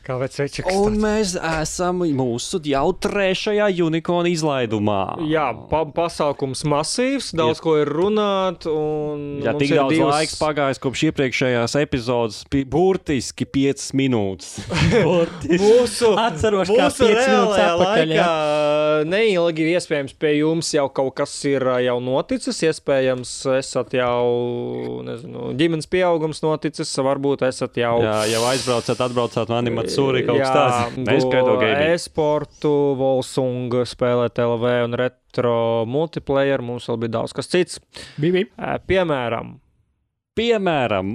Kā vecēčiks. Un mēs esam mūsu jau 3. Unicorn izlaidumā. Jā, pasaukums masīvs, daudz ko ir runāt. Jā, tik daudz laiks pagājis kopš iepriekšējās epizodes, burtiski 5 minūtes. Mūsu reālajā laikā neilgi iespējams pie jums jau kaut kas ir jau noticis, iespējams esat jau, nezinu, ģimenes pieaugums noticis, varbūt esat jau... Jā, jau atbraucat no animācijas. Sūri kaut kas tāds. E-sportu, Volsung, spēlēt LV un retro multiplayer. Mums vēl bija daudz kas cits. Piemēram,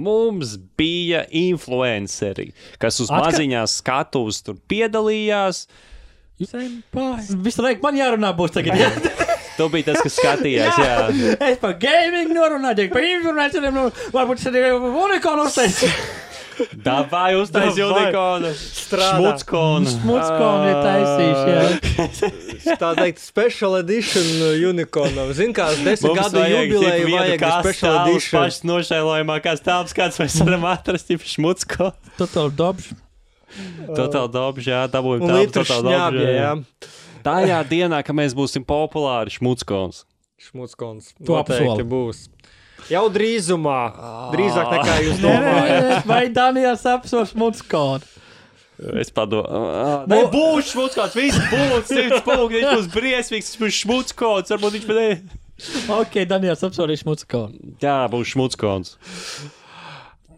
mums bija influenceri, kas uz maziņās skatuves tur piedalījās. Visu laiku man jārunā būs tagad. Tu biji tas, kas skatījās, jā. Es par gaming norunāju, par influenceriem, varbūt es arī Unicorn uztaisīju. Davai uztais Unicornu. Smuckonu ir taisījuši, jā. Tā teikt, special edition Unicornam. Zin kā, 10 gadu jubileju vajag special edition. Pašas nošēlojamākās telpas, kāds mēs varam atrast, ir Smuckonu. Total dobž, jā, dabūjam telpas Total dobž, jā. Tajā dienā, ka mēs būsim populāri, Smuckons. Noteikti būs. Jau drīzumā. Drīzāk nekā jūs domājat. Vai Daniels apsver Smuckonu? Es padomāju. Būs Smuckons, viss būs, 100 punkti, viņš būs briesmīgs, viņš būs Smuckons, varbūt viņš pat... Ok, Daniels apsver Smuckonu. Jā, būs Smuckons.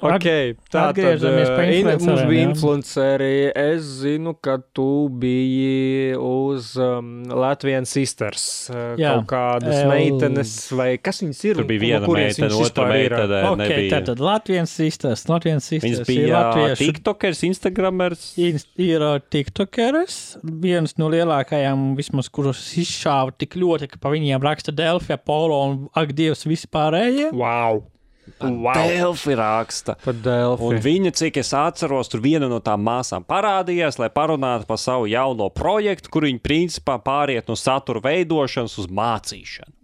Ok, tātad mums bija influenceri. Es zinu, ka tu biji uz Latvian Sisters. Kaut kādas meitenes, vai kas viņas ir? Tur bija viena meitene, otra meitene nebija. Ok, tātad Latvian Sisters. Viņas bija tiktokers, instagramers. Ir tiktokers. Viens no lielākajām, vismaz, kuros izšāva tik ļoti, ka pa viņiem raksta Delfi, Apollo un ak Dievs vispārējie. Wow! Delfi raksta. Un viņa, cik es atceros, tur viena no tām māsām parādījās, lai parunātu par savu jauno projektu, kur viņa principā pāriet no satura veidošanas uz mācīšanu.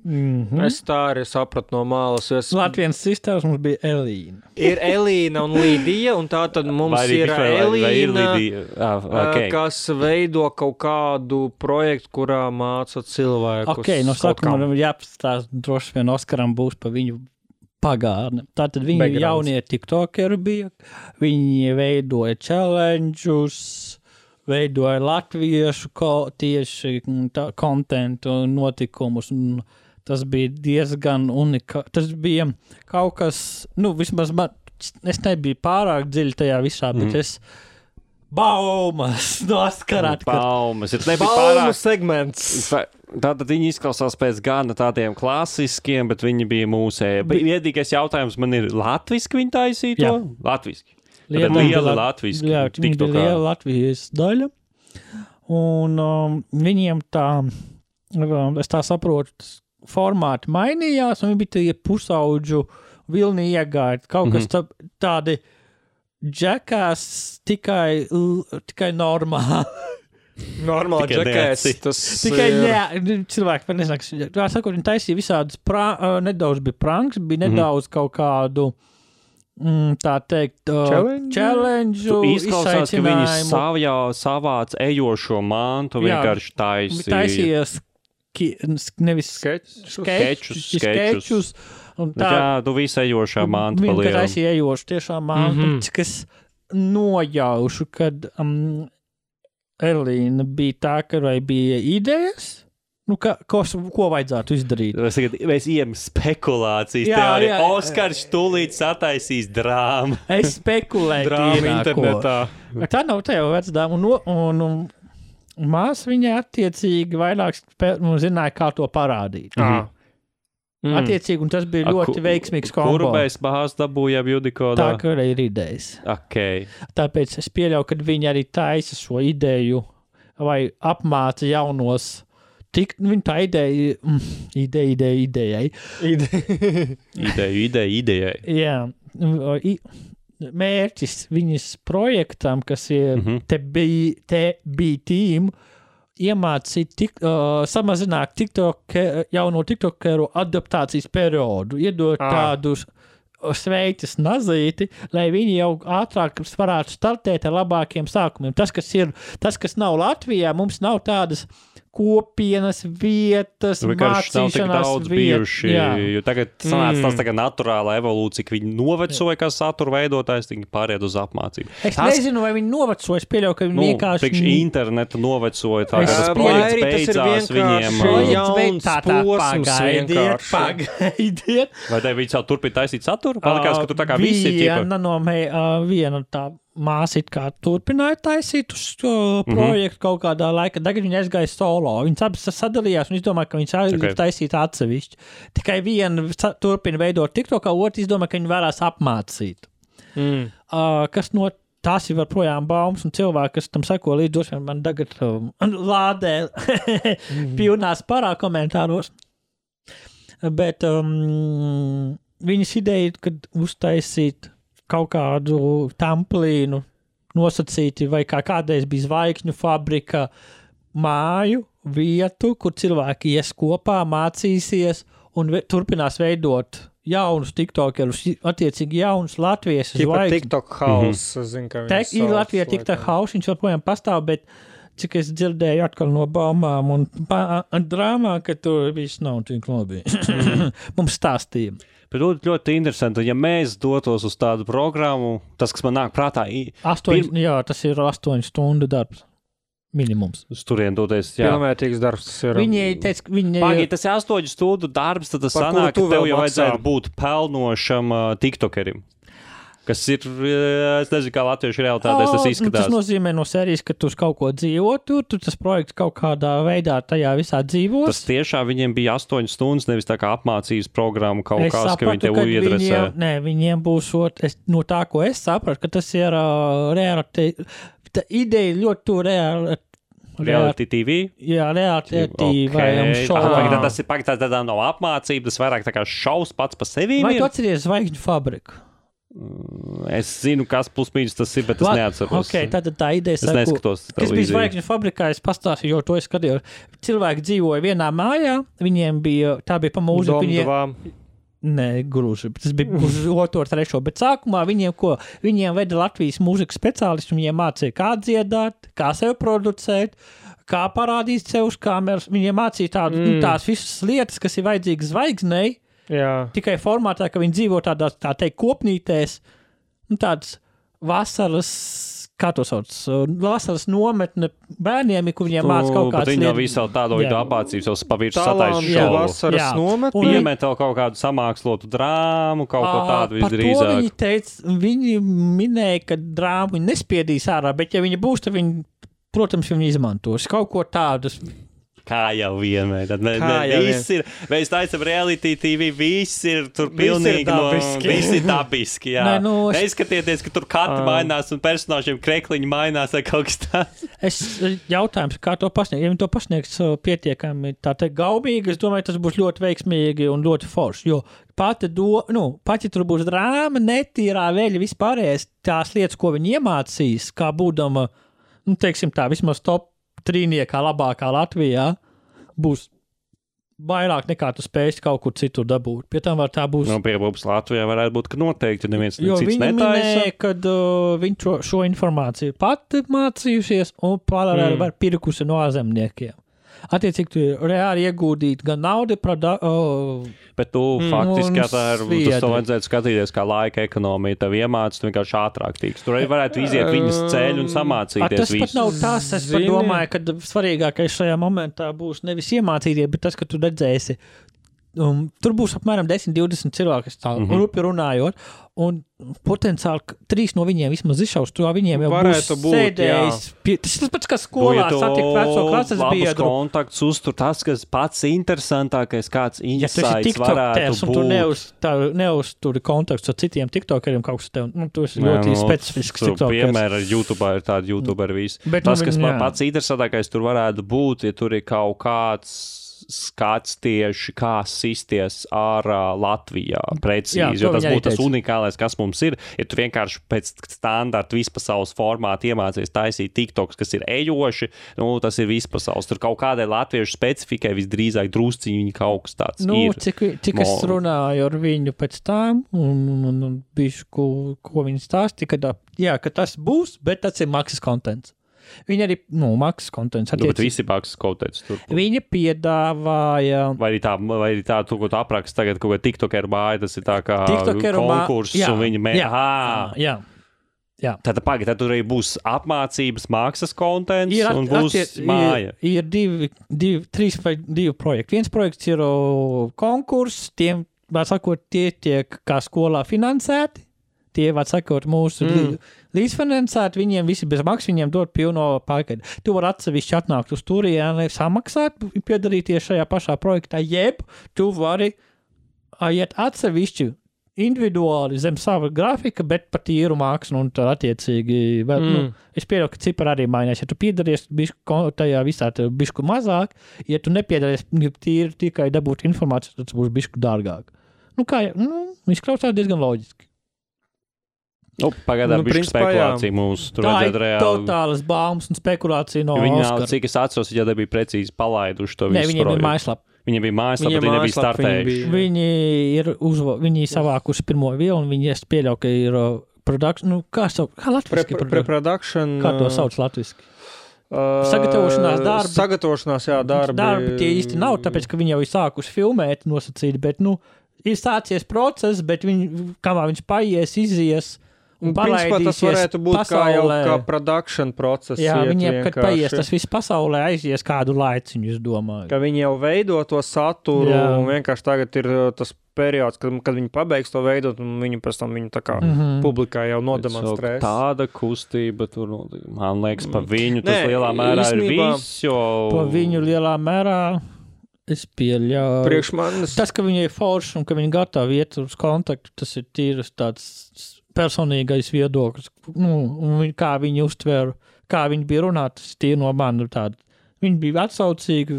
Es tā arī sapratu no malas. Latvijas sisters mums bija Elīna. Ir Elīna un Lidija, un tā tad mums ir Elīna, kas veido kaut kādu projektu, kurā māca cilvēkus. Ok, no sākuma jāpastāst, droši vien Oskaram būs pa viņu pagārne. Tātad viņi jaunie tiktokeri bija, viņi veidoja challenge'us, veidoja latviešu tieši kontentu notikumus, un tas bija diezgan tas bija kaut kas, vismaz es nebiju pārāk dziļi tajā visā, bet es baumas noskarāt. Baumas segments. Tātad viņi izklausās pēc gana tādiem klasiskiem, bet viņi bija mūsēji. Viedīgais jautājums man ir, latviski viņi taisīja to? Latviski. Liela latviski. Jā, viņi bija liela Latvijas daļa. Un viņiem tā, es tā saprotu, formāti mainījās, un viņi bija tie pusaudžu vilni iegāja. Kaut kas tādi džekās tikai normāli. Normāli džekēs. Tikai cilvēki par nezinu, tā sakot, viņi taisīja visādus, nedaudz bija pranks, bija nedaudz kaut kādu, tā teikt, challenge, izklausās, ka viņi savāc ejošo mantu vienkārši taisīja. Taisījies nevis skečus. Jā, tu visu ejošā manta palielu. Viņi taisīja ejošu tiešām mantu, kas nojaušu, kad... Elīna bija tā, ka vai bija idejas, ko vajadzētu izdarīt? Mēs ejam spekulācijas teoriju. Oskars tūlīt sataisīs drāmu. Es spekulēju drāmu internetā. Tā nav tev vecdāma, un māsa viņa attiecīgi vairāk zināja, kā to parādīt. Attiecīgi, un tas bija ļoti veiksmīgs kombo. Kuru mēs bāzi dabūjām Unicornā? Tā, ka ir idejas. Okay. Tāpēc es pieļauju, ka viņi arī taisa šo ideju vai apmāca jaunos. Viņa tā idejai. Idejai. Jā. Mērķis viņas projektam, kas ir TB Team, iemācīt samazināt jauno tiktokeru adaptācijas periodu, iedot tādus sveicis nazīti, lai viņi jau ātrāk varētu startēt ar labākiem sākumiem. Tas, kas nav Latvijā, mums nav tādas kopienas vietas, mācīšanās vietas. Jo tagad sanāca tas tagad naturāla evolūcija, ka viņi novecoja kā satura veidotājs, viņi pāried uz apmācību. Es nezinu, vai viņi novecoja, es pieļauju, ka viņi vienkārši... Priekš internetu novecoja, tā kā tas projekts beidzās viņiem. Jauns posms vienkārši. Pagaidiet. Vai te viņi jau turpina taisīt saturu? Palikās, ka tu tā kā visi viena tā māsa it kā turpināja taisīt uz projektu kaut kādā laikā. Tagad viņi aizgāja solo. Viņas abas sadalījās un izdomāja, ka viņas aizgāja taisīt atsevišķi. Tikai viena turpina veidot TikTokā, otrs izdomāja, ka viņi varēs apmācīt. Kas no tās ir projām baumas un cilvēki, kas tam seko līdz došiem, man tagad lādē pilnās parā komentāros. Bet viņas ideja, kad uztaisīt kaut kādu tamplīnu nosacīti, vai kā kādreiz bija zvaigžņu fabrika, māju, vietu, kur cilvēki ies kopā, mācīsies un turpinās veidot jaunus tiktokerus, attiecīgi jaunus Latvijas zvaigžņus. TikTok house, zinu, ka viņi ir Latvijā TikTok house, viņš joprojām pastāv, bet cik es dzirdēju atkal no baumām un drāmā, ka tur viss nav tik labi. Mums stāstīja. Bet ļoti interesanti, ja mēs dotos uz tādu programmu, tas, kas man nāk prātā... Jā, tas ir 8 stundu darbs. Minimums. Uz turien doties, jā. Pilnvērtīgs darbs tas ir. Viņi teica, Pagāj, tas ir 8 stundu darbs, tad tas sanāk, ka tev jau vajadzētu būt pelnošam tiktokerim. Kas ir, es nezinu, kā latviešu realitātēs tas izskatās. Tas nozīmē no sērijas, ka tu uz kaut ko dzīvo, tur tas projekts kaut kādā veidā tajā visā dzīvos. Tas tiešām viņiem bija 8 stundas, nevis tā kā apmācības programma kaut kāds, ka viņi tev iedresē. Viņiem būs, no tā, ko es sapratu, ka tas ir realitāte, tā ideja ļoti tu Reality TV? Jā, Reality TV vai šovā. Tas ir tādā no apmācība, tas vairāk tā kā šaus pats pa sevi. Vai tu atceries Zvaigžņu fabriku? Es zinu, kas plus mīnus tas ir, bet es neatceros. Okay, tad tā ideja es neskatos televīziju. Kas bija Zvaigžņu fabrikā, es pastāstīju, jo to es skatījos. Cilvēki dzīvoja vienā mājā, viņiem bija, tā bija pa mūziku. Nē, gruži, tas bija uz 2. 3. Bet sākumā viņiem veda Latvijas mūzikas speciālisti, viņiem mācīja, kā dziedāt, kā sev producēt, kā parādīt sev uz kameras. Viņiem mācīja tās visas lietas, kas ir vajadzīgas zvaigznei. Jā. Tikai formātā, ka viņi dzīvo tādās, tā teikt, kopnītēs, tādas vasaras, kā to sauc, vasaras nometne bērniem, kur viņiem māca kaut kādas lietas. Bet viņi nav visu tādu vidu apmācības, jau pavirši satais šovu. Vasaras nometne. Iemet vēl kaut kādu samākslotu drāmu, kaut ko tādu visdrīzāk. Par to viņi teica, viņi minēja, ka drāmu viņi nespiedīs ārā, bet ja viņi būs, tad viņi, protams, viņi izmantos kaut ko tādu. Kā jau vienmēr. Tad viss ir, mēs taisam Reality TV, viss ir tur pilnīgi viss ir dabiski, jā. Neizskatieties, ka tur kati mainās un personāžiem krekliņi mainās vai kaut kas tāds. Jautājums, kā to pasniegt? Ja viņi to pasniegs pietiekami tā teikt gaubīgi, es domāju, tas būs ļoti veiksmīgi un ļoti forši, jo pati tur būs drāma, netīrā veļa vispārējais tās lietas, ko viņi iemācīs, kā būdama, teiksim tā, vismaz top trīniekā labākā Latvijā, būs vairāk nekā tu spēsi kaut kur citur dabūt. Pie tam var tā būs... Piebūs Latvijā varētu būt, ka noteikti neviens cits netaisa. Jo viņi minēja, kad viņi šo informāciju pati mācījušies un paralēli var pirkusi no ārzemniekiem. Attiecīgi, tu reāli iegūdīt gan naudu, bet tu faktiski tas to vajadzētu skatīties kā laika ekonomija. Tev iemāc, tu vienkārši ātrāk tīks. Tur arī varētu iziet viņas ceļu un samācīties. Tas pat nav tas, es pat domāju, ka svarīgākais šajā momentā būs nevis iemācīties, bet tas, ka tu redzēsi. Tur būs apmēram 10-20 cilvēki, rupi runājot, un potenciāli 3 no viņiem vismaz izšaus, to viņiem jau varētu būs sēdējis. Tas ir pats, kā skolā satikt veco klases biedru. Kontakts uztur tas, kas pats interesantākais, kāds insights varētu būt. Tu neuzturi kontakts ar citiem tiktokeriem, kaut kas tev, tu esi ļoti specifisks tiktokers. Piemēram, YouTube ir tādi YouTuberi visi. Tas, kas pats interesantākais tur varētu būt, ja tur ir kaut kāds skats tieši, kā sisties ārā Latvijā precīzi, jo tas būtu tas unikālais, kas mums ir. Ja tu vienkārši pēc standarta vispasaules formāta iemācies taisīt TikToks, kas ir ejoši, tas ir vispasaules. Tur kaut kādai latviešu specifikai visdrīzāk drusciņi viņi kaut kas tāds ir. Cik es runāju ar viņu pēc tām un bišu, ko viņi stāstīja, ka tas būs, bet tas ir maksas kontents. Viņi arī, maksas kontents. Bet visi maksas kontents tur. Viņa piedāvāja... Vai arī tā, tu, ko tu apraksti tagad, kaut kā TikTokeru māja, tas ir tā kā konkurss, un viņi Jā. Tātad pagaid, tad tur arī būs apmācības maksas kontents un būs māja. Ir divi projekti. Viens projekts ir konkurss, tiem, var sakot, tie tiek kā skolā finansēti. Tie, var sakot, mūsu līdzfinansēti, viņiem visi bez maksas, viņiem dod pilno pārkaidu. Tu vari atsevišķi atnākt uz turieni, samaksāt, piedalīties šajā pašā projektā, jeb tu vari iet atsevišķi individuāli zem sava grafika, bet par tīru mākslu un tā attiecīgi vēl, es pieļauju, ka cipari arī mainās. Ja tu piedalies tajā visā bišku mazāk, ja tu nepiedalies tīri tikai dabūt informāciju, tad tas būs bišku dārgāk. Izklausās diezgan loģiski. Pagaidām bišķi spekulācija mūsu. Tur tā ir totālas baumas un spekulācija no Oskara. Cik es atceros, ja nebija precīzi palaiduši to visu projektu. Viņiem bija mājaslapa. Viņiem bija mājaslapa, bet viņi nebija startējuši. Viņi savākuši pirmo vielu, un viņi pieļauj, ka ir production, kā latviski? Pre-production. Kā to sauc latviski? Sagatavošanās darbi. Sagatavošanās, jā, darbi. Darbi tie īsti nav, tāpēc, ka viņi jau ir sākuši filmēt nosacīt, bet, ir sācies process, bet kamā viņš paies, izies, un principā tas varētu būt pasaulē. Kā production process. Jā, viņiem, kad paies tas viss pasaulē, aizies kādu laiciņu, es domāju. Ka viņi jau veido to saturu, un vienkārši tagad ir tas periods, kad viņi pabeigs to veidot, un viņi pēc tam viņu tā kā publikā jau nodemonstrēs. Tāda kustība tur, man liekas, pa viņu tas lielā mērā ir viss, jo... Pa viņu lielā mērā... Es pieļauju. Priekš manis. Tas, ka viņi ir forši un ka viņi gatavi iet uz kontaktu, tas ir tīras tāds personīgais viedoklis. Un kā viņi uztvēra, kā viņi bija runāt, tas tīri no mani tāda. Viņi bija atsaucīgi,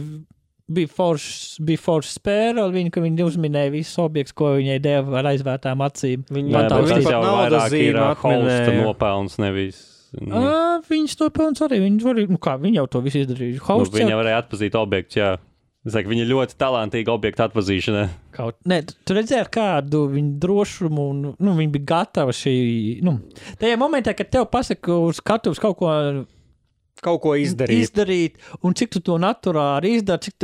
bija forši spēra, ka viņi uzminēja visus objektus, ko viņai deva ar aizvērtām acīm. Tas jau vairāk ir hosta nopelns, nevis... Viņas nopelns arī, viņi jau to visu izdarīja. Viņi varēja atpazīt objektu, jā. Es saku, viņa ļoti talantīga objekta atpazīšanā. Tu redzēji, kādu viņu drošumu, un viņi bija gatavi šī... tajā momentā, kad tev pasaka uz skatuves kaut ko izdarīt, un cik tu to naturāli izdari,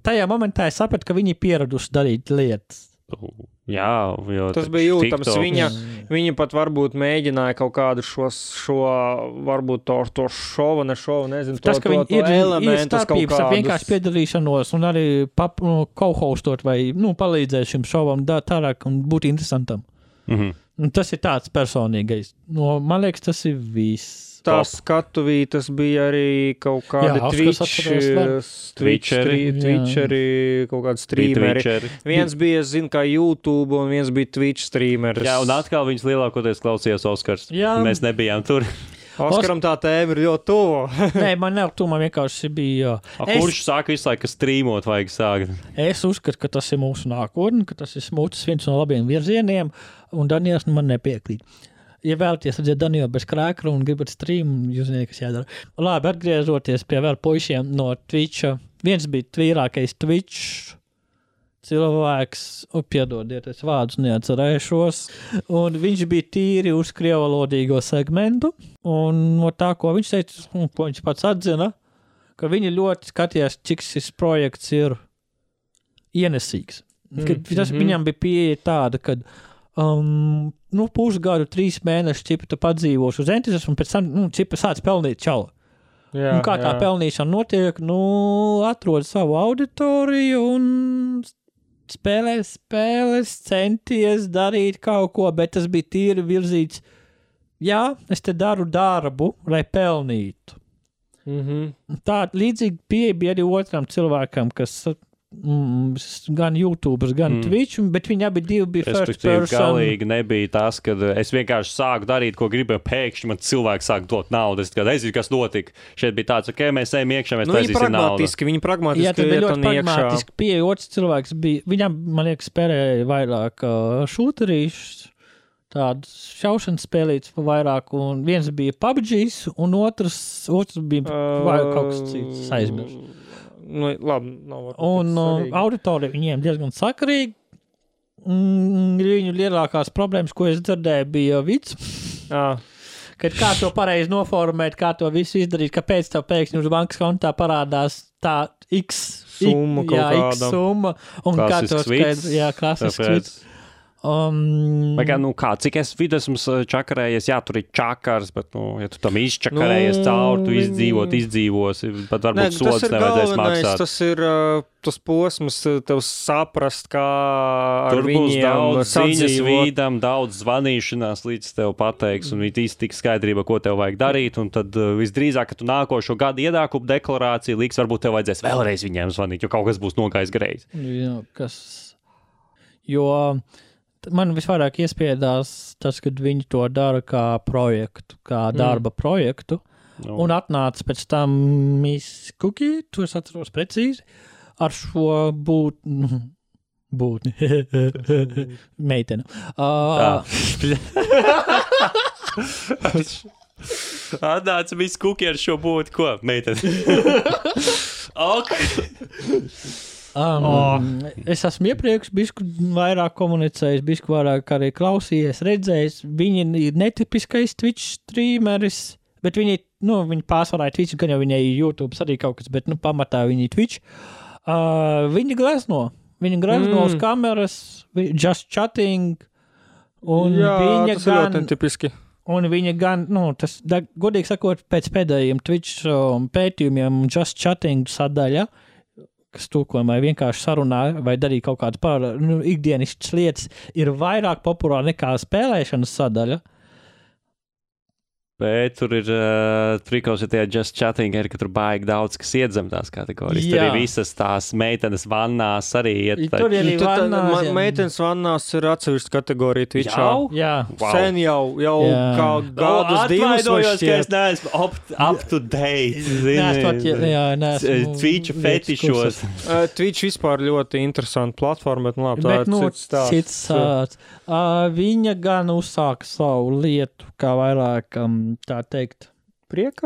tajā momentā es sapratu, ka viņi pieraduši darīt lietas. Jā, jo tas bija jūtams. Viņa pat varbūt mēģināja kaut kādu šo varbūt to šovu, nezinu, tas, to elementus kaut kādus. Vienkārši piedalīšanos un arī co-hostot vai palīdzēt šim šovam tālāk un būt interesantam. Tas ir tāds personīgais. Man liekas, tas ir viss. Tās skatuvītas bija arī kaut kādi Twitcheri, kaut kādi streameri. Viens bija, kā YouTube, un viens bija Twitch streameris. Jā, un atkal viņas lielākoties klausījās Oskars. Jā. Mēs nebijām tur. Oskaram tā tēma ir ļoti tuva. Nē, man nav tuva, man vienkārši bija... Kurš sāka visu laiku streamot vajag sākt? Es uzskatu, ka tas ir mūsu nākotne, ka tas ir smūtis viens no labiem virzieniem, un Daniels man nepiekrīt. Ja vēlaties redzēt Danielu bez krēkra un gribat streamu, jūs zināt, kas jādara. Labi, atgriežoties pie vēl puišiem no Twitcha. Viens bija tvīrākais Twitch cilvēks, piedodiet, es vārdus neatcerēšos, un viņš bija tīri uz krievalodīgo segmentu, un no tā, ko viņš teica, un ko viņš pats atzina, ka viņi ļoti skatījās, cik šis projekts ir ienesīgs. Viņam bija pieeja tāda, kad pusgadu, 3 mēnešus čipa tu padzīvos uz entuziasmu, un pēc tam čipa sāc pelnīt čalu. Kā tā pelnīšana notiek, atrod savu auditoriju un spēles, centies darīt kaut ko, bet tas bija tīri virzīts. Jā, es te daru darbu, lai pelnītu. Tā līdzīgi pieeja bija arī otram cilvēkam, kas gan YouTubers, gan Twitch, bet viņi abi bija first person. Galīgi nebija tas, kad es vienkārši sāku darīt, ko gribēju, pēkšņi man cilvēki sāk dot naudu. Es zinu, kas notika. Šeit bija tāds, mēs ejam iekšā, mēs taisīsim naudu. Viņi pragmatiski jā, tad bija ļoti pragmatiski pieeja. Otrs cilvēks bija, viņam, man liekas, spēlēja vairāk šūterīšus, tādas šaušanas spēlītas pa vairāk, un viens bija PUBGs, un otrs bija kaut kas cits aizmirst. Labi, un auditorija viņiem diezgan sakarīgi. Viņu lielākās problēmas, ko es dzirdēju, bija vids. Kad kā to pareizi noformēt, kā to visu izdarīt, kāpēc tev pēkšņi uz bankas kontā parādās tā X summa, un kā to skaidrs, klasisks vids. Vai kā, cik es vidu esmu čakarējies, tur ir čakars, bet, ja tu tam izčakarējies cauri, tu izdzīvosi, pat varbūt sods nevajadzēs maksāt. Tas ir tas posms, tev saprast, kā ar viņiem sadzīvot. Tur būs daudz ziņas vīdam, daudz zvanīšanās, līdz tev pateiks, un tik skaidrība, ko tev vajag darīt, un tad visdrīzāk, ka tu nākošo gadu iedākumu deklarāciju liks, varbūt tev vajadzēs vēlreiz viņiem zvanīt, jo kaut kas būs nogājis greizi. Man visvairāk iespiedās tas, kad viņi to dara kā projektu, kā darba projektu, un atnāca pēc tam Miss Cookie, to es atceros precīzi, ar šo būtni. Meitene. Atnāca Miss Cookie ar šo būtni, ko? Meitene. Es esmu iepriekš bišku vairāk komunicējis, bišku vairāk arī klausījies, redzējis. Viņi ir netipiskais Twitch streameris, bet viņi pārsvarā ir Twitch, gan jau viņai ir YouTube arī kaut kas, bet pamatā viņi ir Twitch. Viņi glezno uz kameras, just chatting, un viņa tas ir ļoti tipiski. Un viņa gan, godīgi sakot, pēc pēdējiem Twitch pētījumiem just chatting sadaļa, kas tulkojumā vienkārši sarunā vai darīja kaut kādas ikdienišķas lietas, ir vairāk populāra nekā spēlēšanas sadaļa. Bet tur ir trikos, ja tie just chatting, ka tur baigi daudz, kas iedzem tās kategorijas. Tur ir visas tās meitenes vannās arī iet. Tur arī vannās. Meitenes vannās ir atsevišķa kategorija Twitchā. Jā. Wow. Sen jau kā gadus divus vai šķiet. Ka es neesmu up to date. Neesmu Twitch fetišos. Twitch vispār ļoti interesanta platforma, bet labi, tā ir cits stāsts. Viņa gan uzsāka savu lietu, kā vairāk, tā teikt, prieka?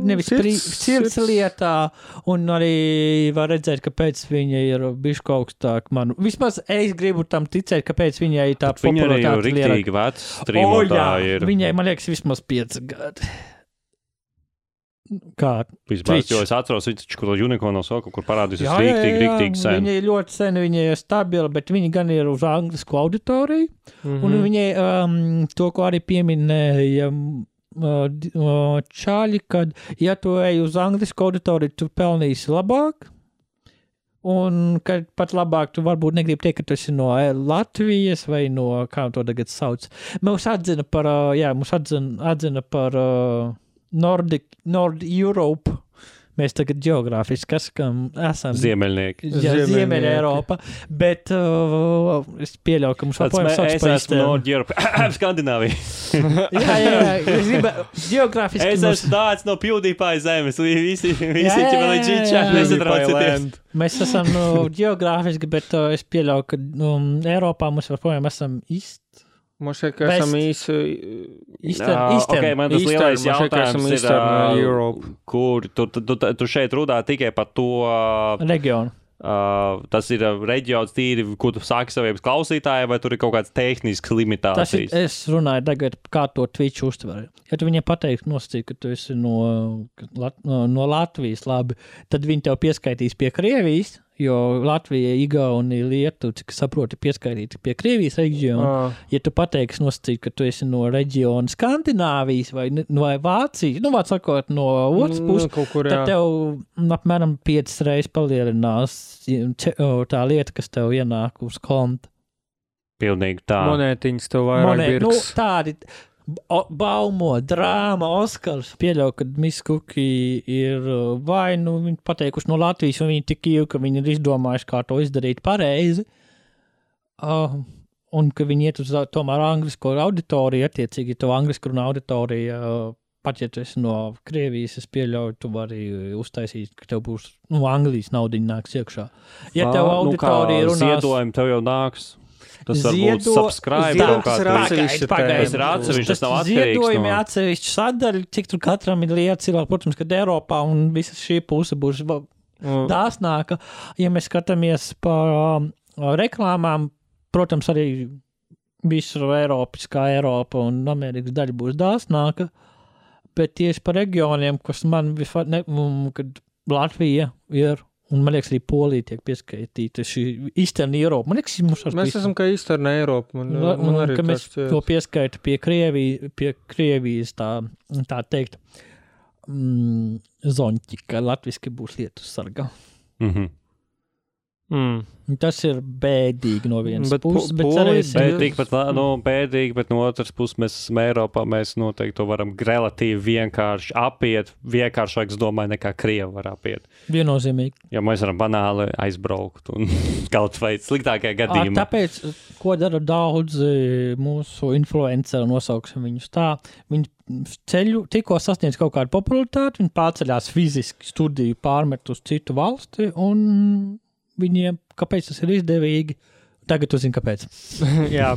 Nevis sirds lietā, un arī var redzēt, kāpēc viņa ir bišķi augstāk manu. Vismaz es gribu tam ticēt, kāpēc viņai tā popularitāte lielāka. Viņa arī jau riktīgi vecs streamotāji ir. Viņai, man liekas, vismaz 5 gadi. Kā? Vispār, jo es atceros, viņš kaut ko Unicorn soku, kur parādīsies riktīgi sen. Viņa ir ļoti sen, viņa ir stabila, bet viņa gan ir uz anglisku auditoriju, un viņai to, ko arī pieminēja Čāļi, kad, ja tu ej uz anglisku auditoriju, tu pelnīsi labāk, un kad pat labāk tu varbūt negribi teikt, ka tu esi no Latvijas vai no, kā to tagad sauc. Mūs atzina par Nord Europe. Mēs tagad geogrāfiski esam Ziemeļnieki. Ziemeļa Eiropa, bet es pieļauju, ka mums joprojām sauc par Es esmu Nord Europe. Skandināvija. Jā. Geogrāfiski es esmu tāds no PewDiePie zemes. Visi ķi vēl džičā. Nesatraucieties. Mēs esam geogrāfiski, bet es pieļauju, ka Eiropā mums joprojām esam Mums šeit, ka esam Okay, man tas lielais jautājums ir, kur tu šeit runā tikai par to reģionu. Tas ir reģions tīri, kur tu sāki saviem klausītājiem, vai tur ir kaut kāds tehnisks limitācijas? Es runāju tagad, kā to Twitch uztver. Ja tu viņiem pateiksi nosacīt, ka tu esi no Latvijas, labi, tad viņi tev pieskaitīs pie Krievijas, jo Latvija, Igaunija, Lietuva, cik saproti, pieskaitīti pie Krievijas reģiona. Ja tu pateiksi nosacīt, ka tu esi no reģiona Skandināvijas vai Vācijas, vārds sakot, no otras puses, tad tev apmēram 5 reizes palielinās tā lieta, kas tev ienāk uz konta. Pilnīgi tā. Monētiņas tev vairāk birks. Tādi Baumo, drāma, Oskars. Pieļauju, ka Miss Cookie ir vai nu viņi pateikuši no Latvijas, un viņi tik ilgi, ka viņi ir izdomājuši, kā to izdarīt pareizi. Un ka viņi iet uz tomēr anglisko auditoriju, attiecīgi to anglisku runā auditoriju, pat ja tu esi no Krievijas, es pieļauju, tu vari uztaisīt, ka tev būs, Anglijas naudiņa nāks iekšā. Ja tev auditorija runās... Ziedojumi tev jau nāks. Tas varbūt subscribe kaut kā. Tas ir atsevišķi, tas nav atkarīgs. Ziedojumi atsevišķi sadaļi, cik tur katram ir lieta cilvēku, protams, kad Eiropā un visa šī puse būs dāsnāka. Ja mēs skatāmies par reklāmām, protams, arī visu Eiropiskā Eiropa un Amerikas daļa būs dāsnāka, bet tieši par reģioniem, kas man kad Latvija ir, un man liekas, arī Polija tiek pieskaitīta šī Eastern Europe. Man liekas, mēs esam kā Eastern Europe. Man arī ka mēs to pieskaita pie Krievijas, tā teikt, zoņķi, ka latviski būs lietu sarga. Tas ir bēdīgi no vienas puses, bet cerēsim. Bēdīgi, bet no otras puses mēs esam Eiropā, mēs noteikti to varam relatīvi vienkārši apiet, vienkāršāk, es domāju, nekā Krievi var apiet. Viennozīmīgi. Ja mēs varam banāli aizbraukt un kaut vai sliktākajā gadījumā. Tāpēc, ko dara daudz mūsu influenceri, nosauksim viņus tā, viņi tikko sasniedz kaut kādu popularitāti, viņi pārceļās fiziski studiju pārmet uz citu valsti un viņiem, kāpēc tas ir izdevīgi? Tagad tu zini, kāpēc. Jā,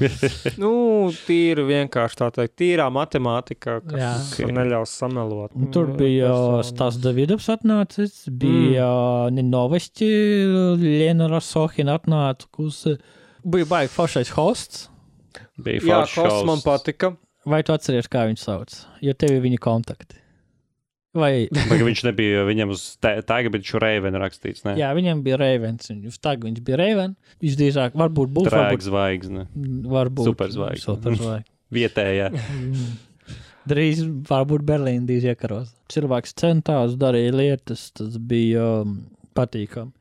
tīri vienkārši tā teikt, tīrā matemātika, kas neļaus samelot. Tur bija Stas Davidovs atnācis, bija Ninoveski, Lena Rasohina atnāca, bija baigi foršais hosts. Jā, hosts man patika. Vai tu atceries, kā viņš sauc? Jo tev ir viņa kontakti. Vai viņš nebija, viņam uz tagga bija Raven rakstīts, ne? Jā, viņam bija Ravens, uz tagga viņš bija Raven, viņš drīzāk varbūt būs... Drēg zvaigzne. Varbūt. Superzvaigzne. Vietējā. Drīz varbūt Berlīna drīz iekaros. Cilvēks centās, darīja lietas, tas bija patīkam.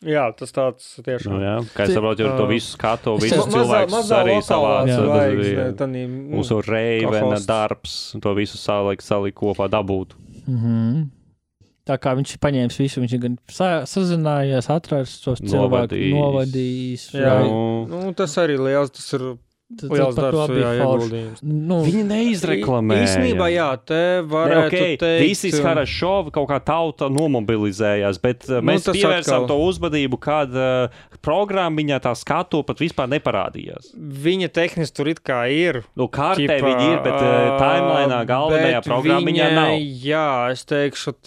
Jā, tas tāds tiešām. Jā, kā es saprotu, to visu skatu, visus cilvēkus arī savāc. Mūsu Reivena darbs, to visu salikt kopā dabūtu. Tā kā viņš ir paņēmis visu, viņš ir gan sazinājies, atrast tos cilvēkus, novadījis. Jā, tas arī liels, tas ir... Liels darbs, ieguldījums. Viņi neizreklamēja. Īstenībā, jā, te varētu teikt... Visi Harašovi kaut kā tauta nomobilizējās, bet mēs pievērsām to uzmanību, kad programmiņā tā skatu pat vispār neparādījās. Viņa tehniski tur it kā ir. Kārtē viņi ir, bet timelainā galvenajā programmiņā nav. Jā, es teikšu,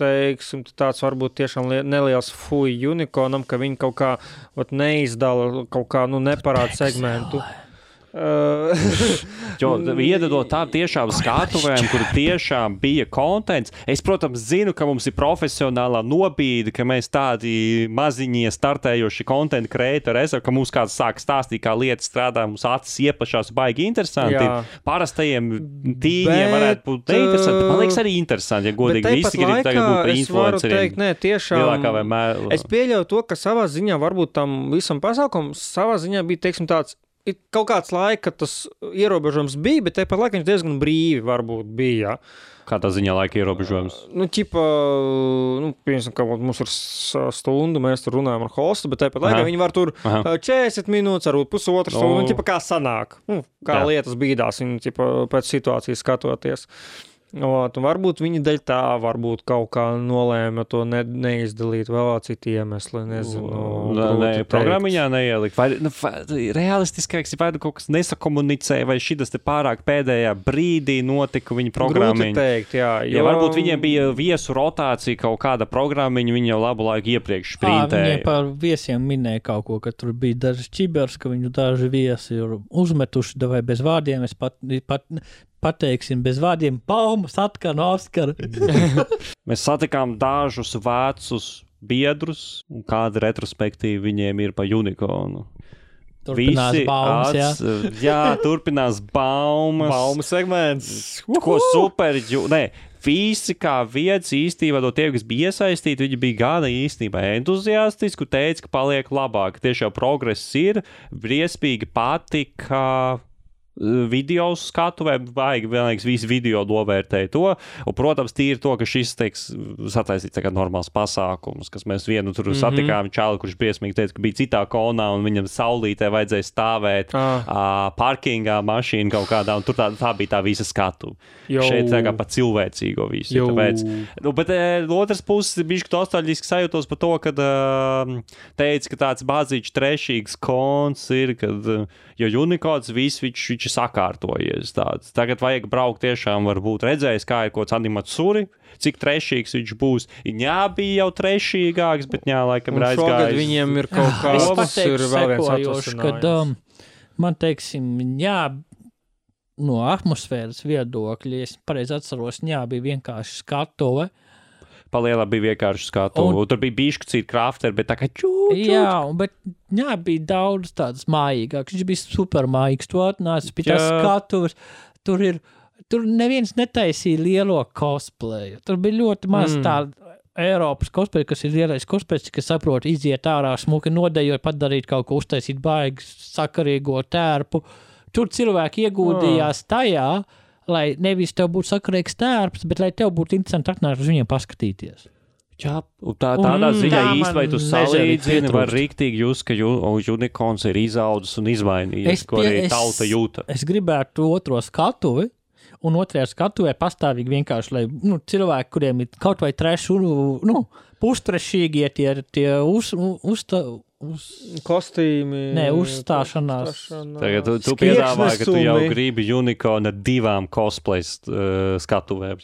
tāds varbūt tiešām neliels fuj unikonam, ka viņi kaut kā neizdala, kaut kā, neparāda segmentu. Jo iedodot tā tiešām skatuvēm, kur tiešām bija kontents. Es, protams, zinu, ka mums ir profesionālā nobīde, ka mēs tādi maziņie startējoši kontentu kreatori esam, ka mums kāds sāk stāstīt, kā lietas strādā, mums acis ieplašās baigi interesanti. Jā. Parastajiem tīņiem varētu būt neinteresanti. Man liekas arī interesanti, ja godīgi visi grib tagad būt par influenceriem. Tiešām, es pieļauju to, ka savā ziņā varbūt tam visam pasākumam savā ziņā bija, teiksim, tāds kaut kāds laika, tas ierobežojums bija, bet tāpat laikā viņš diezgan brīvi varbūt bija. Kādā ziņā laika ierobežojums? Piemēram, ka mums ir stundu, mēs tur runājam ar hostu, bet tāpat laikā viņi var tur 40 minūtes, varbūt pusotru stundu, kā sanāk. Kā lietas bīdās, viņi pēc situācijas skatoties. Varbūt viņi dēļ tā varbūt kaut kā nolēma to neizdalīt vēl citi iemesli, nezinu. Programmiņā neielikt. Vai realistiskāks ir vai kaut kas nesakomunicēja, vai šitas te pārāk pēdējā brīdī notika viņa programmiņa. Grūti teikt, jā. Ja varbūt viņiem bija viesu rotācija kaut kāda programmiņa, viņi jau labu laiku iepriekš sprintēja. Viņiem par viesiem minēja kaut ko, ka tur bija daži čibers, ka viņu daži viesi ir uzmetuši, vai bez vārdiem, es pateiksim bez vārdiem, Baumas, Atkana, Oskara. Mēs satikām dažus vecus biedrus, un kāda retrospektīva viņiem ir pa Unicornu. Turpinās Baumas, jā, turpinās Baumas. Baumas segments. Ko super, visi kā viens īstībā no tiem, kas bija iesaistīti, viņi bija gana īstenībā entuziastiski, teica, ka paliek labāk. Tiešām progress ir, briesmīgi patika. video skatuvēm, vienlaiks visu video novērtēja to, un, protams, tīri to, ka šis, sataisīt tagad normāls pasākums, kas mēs vienu tur satikām čāli, kurš briesmīgi teica, ka bija citā konā, un viņam saulītē vajadzēja stāvēt parkingā mašīnu kaut kādā, un tur tā bija tā visa skatu. Šeit tā kā pa cilvēcīgo visu. Tāpēc, bet otrs puses bišķi nostalģiski sajūtos par to, kad teica, ka tāds bāzīčs trešīgs kons ir, kad, jo Unicorns viss viņš sakārtojies tāds. Tagad vajag braukt tiešām, varbūt redzējis, kā ir kaut kāds animatsuri, cik trešīgs viņš būs. Ņā bija jau trešīgāks, bet ņā laikam ir aizgājis. Šogad viņiem ir kaut kā es pateikšu sekojoši, kad man teiksim, ņā no atmosfēras viedokļa, es pareizi atceros, ņā bija vienkārši skatuve. Palielā bija vienkārši skatu. Un tur bija bišķi citi krafteri, bet tā kā čūt. Jā, bet jā, bija daudz tādas mājīgāks. Viņš bija super mājīgs. Tu atnāc pie tās skatuves. Tur neviens netaisīja lielo cosplayu. Tur bija ļoti maz tāda Eiropas cosplay, kas ir lielais cosplay, kas saprot, iziet ārā smuki nodejot, padarīt kaut ko, uztaisīt baigi sakarīgo tērpu. Tur cilvēki ieguldījās tajā, lai nevis tev būtu sakarīgs tērps, bet lai tev būtu interesanti atnākt uz viņiem paskatīties. Jā, tādā ziņā īsti, vai tu salīdzini, var rīktīgi jūs, ka Unicorns ir izaudzis un izmainījies, ko arī tauta jūta. Es gribētu otro skatuvi, un otrajā skatuvē pastāvīgi vienkārši, lai cilvēki, kuriem ir kaut vai treši, pustrešīgie tie kostīmi. Nē, uzstāšanās. Tagad tu piedāvāji, ka tu jau gribi Unicorn ar 2 cosplay skatuvēm.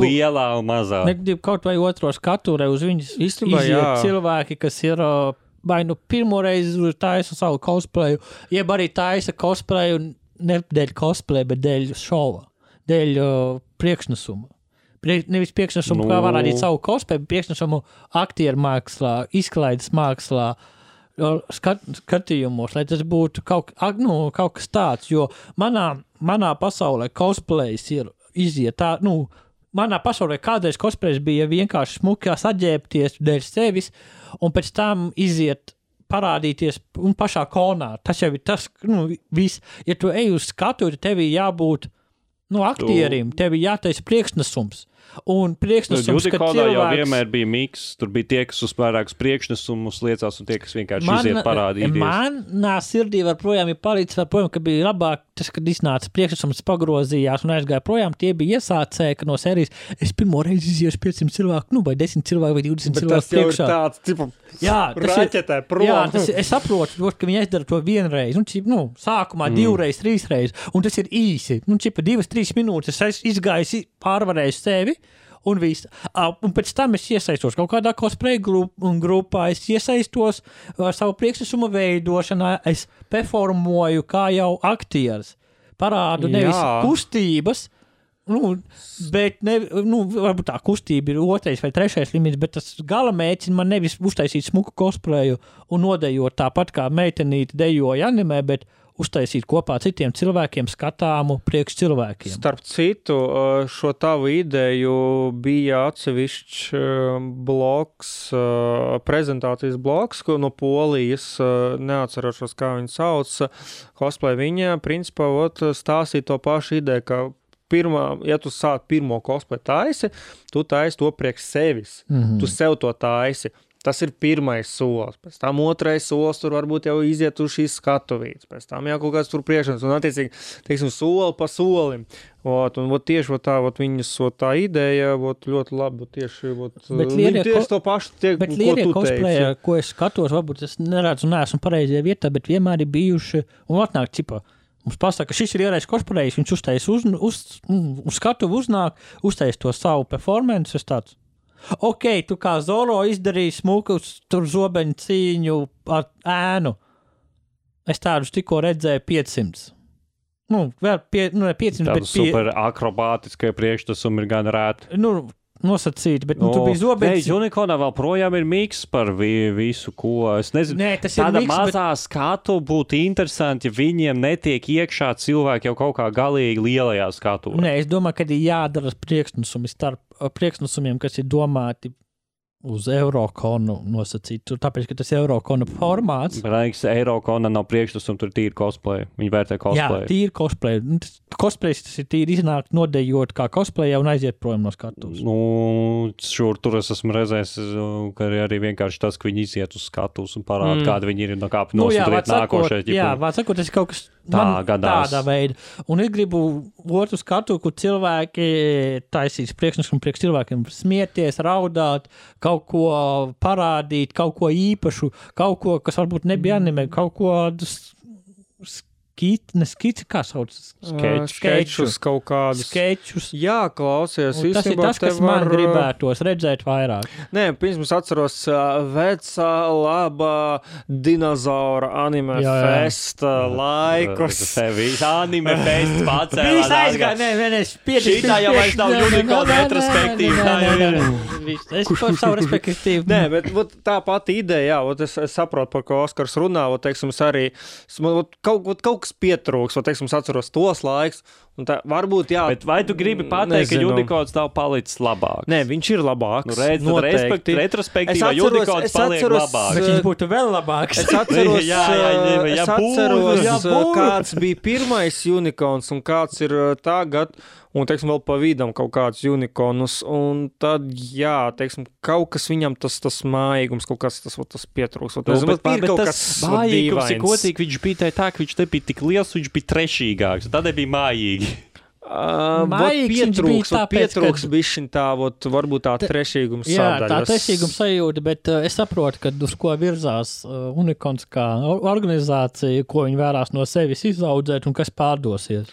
Lielā un mazā. Es gribu kaut vai otro skatuvē uz viņas iziet cilvēki, kas ir vai pirmo reizi taisa savu cosplayu, jeb arī taisa cosplayu ne dēļ cosplay, bet dēļ šova, dēļ priekšnesuma. Nevis priekšnesumu, kā varādīt savu cosplay, bet priekšnesumu aktieru mākslā, izklaides mākslā, skatījumos, lai tas būtu kaut kas tāds, jo manā pasaulē cosplays ir iziet tā, manā pasaulē kādreiz cosplays bija vienkārši smukās atģērbties dēļ sevis, un pēc tam iziet parādīties un pašā konā. Tas jau ir tas, viss. Ja tu ej uz skatu, tad tev jābūt aktierim, tev jātaisa priekšnesums. Un priekšnesums, ka cilvēks... jau vienmēr bija miks, tur bija tie, kas uz vairākus priekšnesumus liecās un tie, kas vienkārši iziet parādīties. Manā sirdī varprojām ir palicis, ka bija labāk tas, kad iznāca priekšnesums pagrozījās un aizgāja projām, tie bija iesācēji, ka no sērijas es pirmo reizi iziešu 500 cilvēku, vai 10 cilvēku vai 20 cilvēku priekšā. Bet tas jau ir tāds, tipu, raķetē prom. Jā, es saprotu, ka viņi aizdara to vienreiz, sākumā 2 reizes, 3 reizes, un tas ir īsi. 2-3 minūtes es izgāju, pārvarēju sevi, un viss. Un pēc tam es iesaistos kaut kādā cosplay grupā, es iesaistos savu priekšnesumu veidošanā, es performoju kā jau aktieris. Parādu nevis kustības, bet varbūt tā kustība ir 2. vai 3. limits, bet tas gala mērķis man nevis uztaisīt smuku cosplayu un nodejot tāpat kā meitenīti dejoja animē, bet uztaisīt kopā citiem cilvēkiem skatāmu priekš cilvēkiem. Starp citu, šo tavu ideju bija atsevišķs bloks, prezentācijas bloks, no Polijas, neatcerošos, kā viņi sauc, cosplay viņa, principā, stāstīja to pašu ideju, ka ja tu sāk pirmo cosplay taisi, tu taisi to priekš sevis. Tu sev to taisi. Tas ir pirmais solis. Pēc tam 2. solis tur varbūt jau iziet uz šīs skatuvītes. Pēc tam jau kaut kāds tur priekšanas. Un attiecīgi, teiksim, soli pa solim. Un tieši viņas tā ideja ļoti labi. Tieši to pašu, bet lielie cosplay, ko es skatos, varbūt es neredzu, neesmu pareizajā vietā, bet vienmēr ir bijuši un atnāk cipā. Mums pasaka, ka šis ir ierais cosplayējs, viņš uztais uz skatuvu uznāk, uztais to savu performance, es tāds. Ok, tu kā Zoro izdarīji smuku tur zobeņu cīņu ar ēnu. Es tādus tikko redzēju 500. Vēl 500, tādu super akrobātiskai priekšnesumi ir gan rēti. Nosacīti, bet tu biji zobeņš. Unicornā vēl projām ir miks par visu, ko es nezinu. Nē, tas ir tāda miks, mazā skatu būtu interesanti, ja viņiem netiek iekšā cilvēki jau kaut kā galīgi lielajā skatuvē. Nē, es domāju, ka ir jādara priekšnesumi starp priekšnesumiem, kas ir domāti uz Eurokonu nosacītu, tāpēc, ka tas Eurokonu formāts. Braiks, Eurokona nav priekšstats un tur tīri cosplay. Viņi vērtē cosplay. Jā, tīri cosplay. Cosplay tas ir tīri iznākt, nodejot kā cosplayā un aiziet projām no skatuves. Nu, tur es esmu redzējis, ka arī vienkārši tas, ka viņi iziet uz skatuves un parāda, kāda viņi ir no kāpņu nosūtīt nākošais. Jā, vārds sakot, tas ir kaut kas tādā veida. Un es gribu otru skatu, kur cilvēki taisīs priekšneskumu priekš cilvēkiem smieties, raudāt, kaut ko parādīt, kaut ko īpašu, kaut ko, kas varbūt nebija anime, kaut ko skici, kā sauc? Skečus kaut kādus. Skečus. Jā, klausies. Tas ir tas, kas man gribētos redzēt vairāk. Nē, pirms atceros vecā, labā dinozaura anime festa laikus. Anime fest pacēlā. Viss aizgāja, nē, šitā jau vairs nav unikāla retrospektīva. Es par savu respektīvu. Nē, bet tā pati ideja, jā, es saprotu, par ko Oskars runā, teiksim, es arī, kaut kas pietrūks, teiksim, es atceros tos laiks, un tā varbūt, jā. Bet vai tu gribi pateikt, ka Unicode nav palicis labāks? Nē, viņš ir labāks. Nu, noteikti. Retrospektīvā Unicode paliek labāks. Bet viņš būtu vēl labāks. Es atceros, kāds bija pirmais Unicons un kāds ir tagad, un, teiksim, vēl pa vidam kaut kāds Uniconus, un tad, jā, teiksim, kaut kas viņam tas mājīgums, kaut kas tas pietrūks. Bet tas mājīgums ir kotīgi, viņš bija tā, ka viņš nebija tik liels, viņš bija trešīgāks, tad nebija mājīgi. Pietrūks bišķiņ tā, varbūt tā trešīgums sadaļas. Jā, tā trešīgums sajūta, bet es saprotu, ka uz ko virzās Unicons kā organizācija, ko viņi vērās no sevis izaudzēt un kas pārdosies.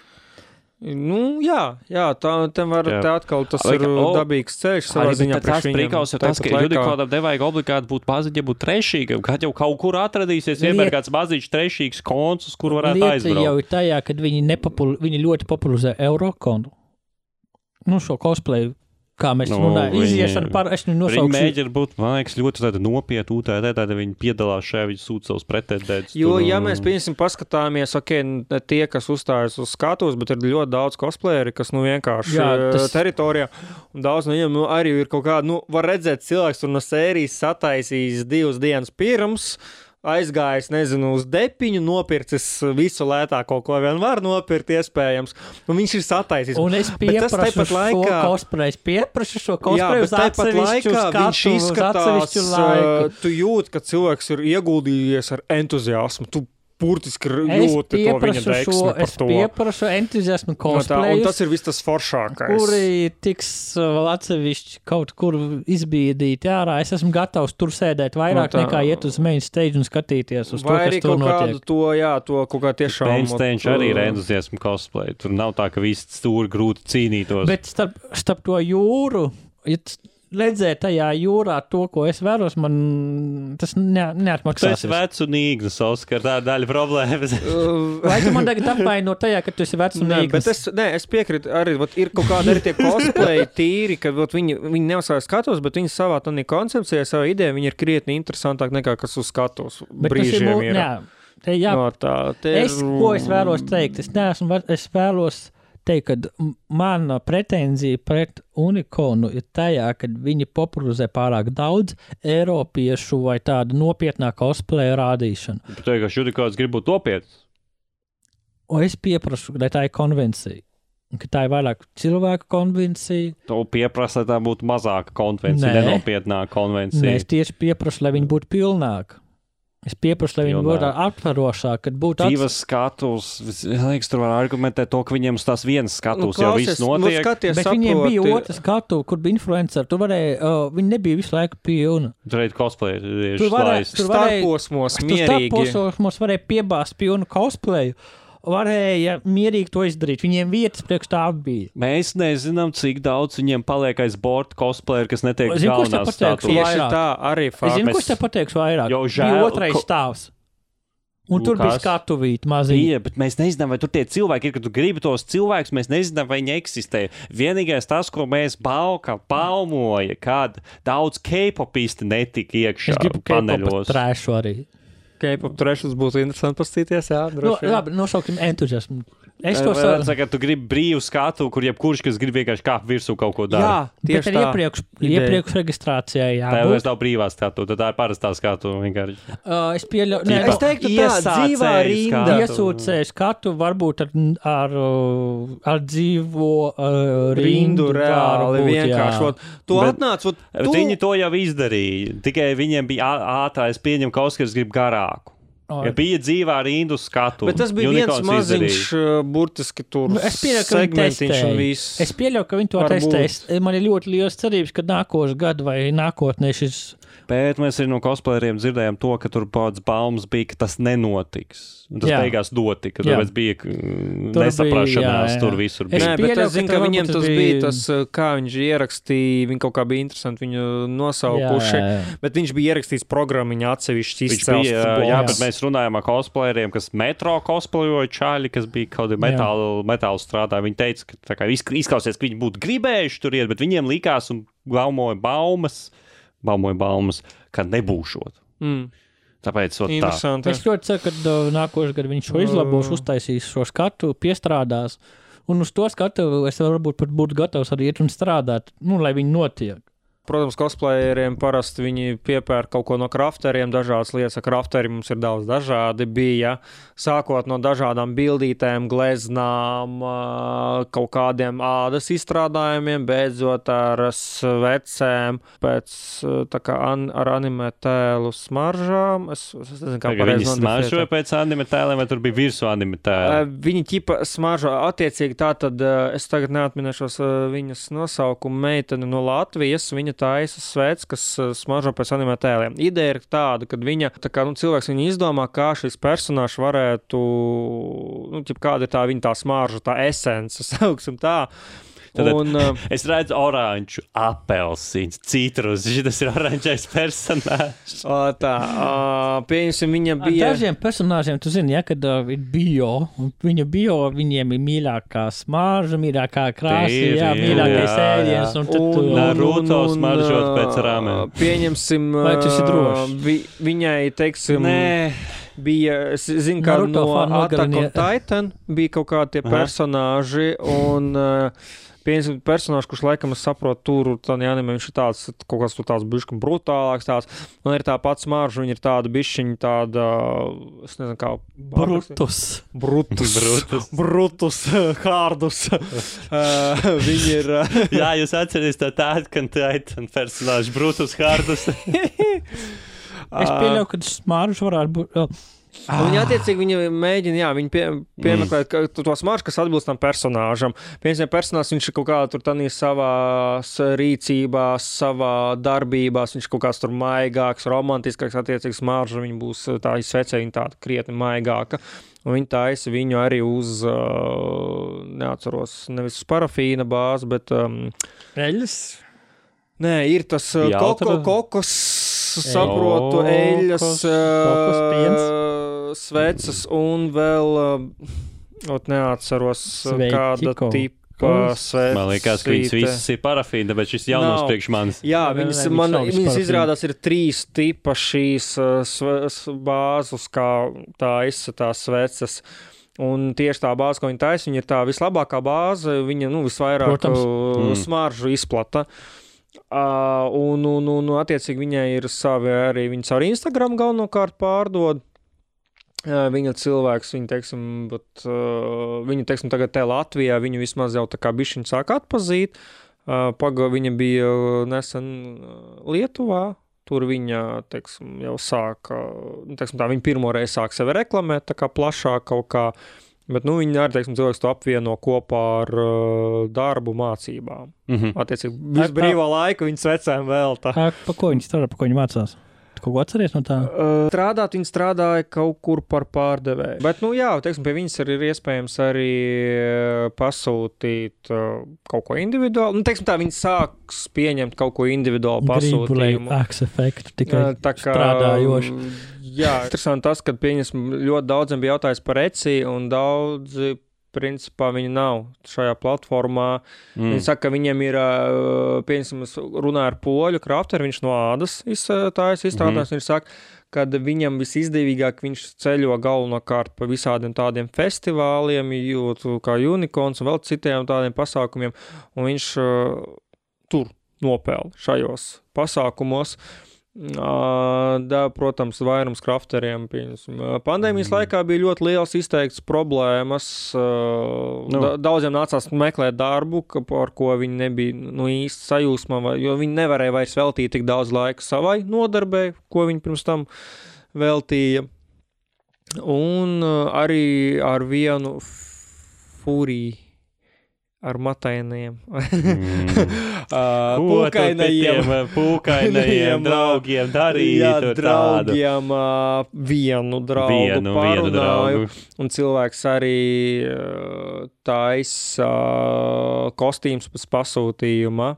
Nu, jā, te atkal tas ir dabīgs ceļš savā ziņā priekš viņam. Prikals ir tas, ka Unicodam nevajag obligāti būt paziņa, būt trešīgam, kad jau kaut kur atradīsies vienmēr kāds mazīgs trešīgs konts, uz kur varētu aizbraukt. Lieta jau ir tajā, kad viņi ļoti popularizē Eurokonu. Nu, šo cosplayu. Kā mēs runājam, iziešana par, es nosaukšu. Viņi mēģina būt, man liekas, ļoti tāda nopietna UTD, tāda viņi piedalās šajā, viņi sūta savus pretendētus. Jo, ja mēs, piemēram, paskatāmies, ne tie, kas uzstājas uz skatuves, bet ir ļoti daudz cosplayeri, kas, vienkārši teritorijā, un daudz no viņiem, arī ir kaut kāda, var redzēt cilvēks, tur no sērijas sataisījis 2 dienas pirms, aizgājis, nezinu, uz depiņu, nopircis visu lētāko, ko vien var nopirkt, iespējams. Un viņš ir sataisījis. Un es pieprašu šo cosplayu uz atsevišķu skatu, uz atsevišķu laiku. Tu jūti, ka cilvēks ir ieguldījies ar entuziasmu. Tu burtiski jūti to viņa deksmi par to. Es pieprašu entuziasmu cosplayus. Un tas ir viss tas foršākais. Kuri tiks vēl atsevišķi kaut kur izbīdīti ārā. Es esmu gatavs tur sēdēt vairāk nekā iet uz main stage un skatīties uz to, kas tur notiek. To kaut kā tiešām. Main stage arī ir entuziasmu cosplay. Tur nav tā, ka visi stūri grūti cīnītos. Bet starp to jūru, redzēt tajā jūrā to, ko es vēros, man tas neatmaksās. Tu esi vecs un īgnas, Oskar, tā daļa problēmas. Vai tu man tagad apvaino tajā, ka tu esi vecs un īgnas? Es piekrītu arī, ir kaut kādi arī tie cosplay tīri, ka viņi neuzsājas skatos, bet viņi savā tādā koncepcijā, savā ideja, viņi ir krietni interesantāk nekā kas uz skatos brīžiem ir. Ko es vēlos teikt? Es vēlos teikt, ka mana pretenzija pret Uniconu ir tajā, kad viņi popularizē pārāk daudz eiropiešu vai tādu nopietnā cosplaya rādīšanu. Bet teikot, ka Unicons grib būt nopietns? Es pieprasu, lai tā ir konvencija. Ka tā ir vairāk cilvēku konvencija. Tu pieprasa, lai tā būtu mazāka konvencija, nenopietnāka konvencija. Nē, es tieši pieprasu, lai viņi būtu pilnāka. Es pieprasu, lai viņi būtu aptverošāk, kad būtu divas skatus. Liekas, tur var argumentēt to, ka viņiem uz tās vienas skatus jau viss notiek. Bet viņiem bija otra skatu, kur bija influenceri. Tur varēja, viņi nebija visu laiku pilni. Tur varēja cosplay. Starposmos mierīgi. Starposmos varēja piebāzt pilnu cosplayu. Varēja mierīgi to izdarīt. Viņiem vietas priekš tā bija. Mēs nezinām, cik daudz viņiem paliek aiz borta cosplayer, kas netiek galvenās status. Tieši tā, arī fakts. Es zinu, kurš te pateiks vairāk. Bija otrais stāvs. Un tur bija skatuvīti mazīgi. Jā, bet mēs nezinām, vai tur tie cilvēki ir, kad tu gribi tos cilvēkus, mēs nezinām, vai viņi eksistē. Vienīgais tas, ko mēs baumoja, kad daudz K-popisti netika iekšā paneļos. Es gribu K-pop trēšu arī. K-pop trešus būtu interesanti pastīties, jā, droši. Labi, nosauksim entuziasmu. Es to saku, ka tu gribi brīvu skatu, kur jebkurš, kas grib vienkārši kāpt virsū kaut ko dara. Jā, tieši tā. Iepriekš reģistrācijā jābūt. Tā vairs nav brīvā skatu, tad tā ir parastā skatu vienkārši. Es pieļauju, es teiktu tā dzīvā rinda. Iesūcēju skatu varbūt ar dzīvo rindu reāli vienkārši. Tu atnāc, viņi to jau izdarīja, tikai viņiem bija ātrā, es pieņemu, ka Oskars grib garāku. Ja bija dzīvā rindu skatu. Bet tas bija viens maziņš, burtiski tur segmentiņš un viss. Es pieļauju, ka viņi to testēs. Man ir ļoti liels cerības, ka nākošu gadu vai nākotnē šis... Bet mēs arī no cosplayeriem dzirdējām to, ka tur pats baumas bija, ka tas nenotiks. Tas beigās notika, tāpēc bija nesaprašanās tur visur. Nē, bet es zinu, ka viņiem tas bija tas, kā viņš ierakstīja, viņi kaut kā bija interesanti viņu nosaukuši, bet viņš bija ierakstījis programmiņu atsevišķi izcels. Jā, bet mēs runājām ar cosplayeriem, kas metro cosplayoja čāļi, kas bija kaut kādi metālu strādāja. Viņi teica, ka tā kā izklausies, ka viņi būtu gribējuši tur iet, bet viņiem likās un baumoja baumas, ka nebūšot. Tāpēc tā. Es ļoti ceru, ka nākošais gadu viņš šo izlabos, uztaisīs šo skatu, piestrādās, un uz to skatu es varbūt pat būtu gatavs arī iet un strādāt, lai viņi notiek. Protams, cosplayeriem parasti viņi piepērk kaut ko no krafteriem, dažādas lietas. Krafteri mums ir daudz dažādi bija, sākot no dažādām bildītēm, gleznām, kaut kādiem ādas izstrādājumiem, beidzot ar svecēm, pēc tā kā ar anime tēlu smaržām. Es nezinu, kā pareizi viņi smaržoja pēc anime tēliem, vai tur bija virsū anime tēli? Viņi ķipa smaržo attiecīgi tā, tad es tagad neatminēšos viņas nosaukumu, meiteni no Latvijas, viņa taisa svets, kas smaržo pēc anime tēliem. Ideja ir tāda, kad viņa, tā kā, cilvēks viņa izdomā, kā šis personāžs varētu, kāda ir tā viņa tā smarža, tā esence, sauksim tā. Tad es redzu oranžu, apelsīns, citrus. Šis ir oranžais personāžs. Pieņemsim, viņa bija... Dažiem personāžiem, tu zini, kad ir bio, un viņiem ir mīļākā smarža, mīļākā krāsa, mīļākais ēdiens. Un Naruto smaržot pēc ramen. Pieņemsim... Vai tas ir droši? Viņai, teiksim... Bija, es zinu, kā no Attack on Titan bija kaut kādi tie personāži, un... Pieņemsim personāžu, kurš laikam es saprotu, tur tādā anime viņš ir tāds, kaut kāds tur tāds bišķi brutālāks tāds. Man ir tā pats smarža, viņa ir tāda bišķiņa tāda, es nezinu kā... Brutus, hārdus. Viņi ir... Jā, jūs atceries tā Attack on Titan personāžu, Brutus, hārdus. Es pieļauju, ka smarža varētu būt... Viņi attiecīgi mēģina, viņi piemeklēt to smaržu, kas atbilst tam personāžam. Piemēram, personāžs viņš ir kaut kādā tur tādā savās rīcībās, savā darbībās, viņš kaut kāds tur maigāks, romantiskāks, attiecīgi smarža, viņa būs tā izsvecē, viņa tāda krietni maigāka. Un viņi taisa viņu arī uz, neatceros, nevis uz parafīna bāzi, bet... Eļas? Nē, ir tas kokos, saprotu, eļas, sveces un vēl, neatceros, kāda tipa sveces. Man liekas, ka viņas visas ir parafīna, bet šis jaunums priekš manis. Jā, viņas izrādās ir 3 tipa šīs bāzes, kā tā izsatās sveces. Un tieši tā bāze, ko viņa taisa, viņa ir tā vislabākā bāze, viņa, visvairāk smaržu izplata. Un attiecīgi viņai ir savi Instagram galvenokārt pārdod. Viņa cilvēks, viņu, teiksim, tagad te Latvijā, viņu vismaz jau tā kā bišķiņu sāk atpazīt. Viņa bija nesen Lietuvā. Tur viņa, teiksim, jau sāka, viņa pirmoreiz sāk sevi reklamēt, tā kā plašāk kaut kā. Bet, viņi arī, teiksim, cilvēks to apvieno kopā ar darbu mācībām. Attiecīgi, visu brīvā laiku viņas vecēm vēl tā. Pa ko viņi strādā, pa ko viņi mācās? Kaut ko atceries no tā? Viņi strādāja kaut kur par pārdevēju. Bet, teiksim, pie viņas ir iespējams arī pasūtīt kaut ko individuāli. Teiksim tā, viņi sāks pieņemt kaut ko individuāli pasūtījumu. Gribu, lai efektu tikai strādājoši. Jā, interesanti tas, ka ļoti daudziem bija jautājums par Etsy, un daudzi, principā, viņi nav šajā platformā. Viņi saka, ka viņiem ir, runāja ar poļu krafteri, viņš no ādas izstrādājis, viņš saka, kad viņam visizdevīgāk viņš ceļo galvenokārt pa visādiem tādiem festivāliem, kā Unicorns un vēl citiem tādiem pasākumiem, un viņš tur nopelna šajos pasākumos. Protams, vairums krafteriem. Pandēmijas laikā bija ļoti liels izteikts problēmas. Daudziem nācās meklēt darbu, par ko viņi nebija īsti sajūsmā, jo viņi nevarēja vairs veltīt tik daudz laika savai nodarbei, ko viņi pirms tam veltīja. Un arī ar vienu fūriju. Ar matainajiem. Pūkainajiem draugiem darīt draugiem vienu draugu parunāju. Un cilvēks arī taisa kostīms pēc pasūtījuma,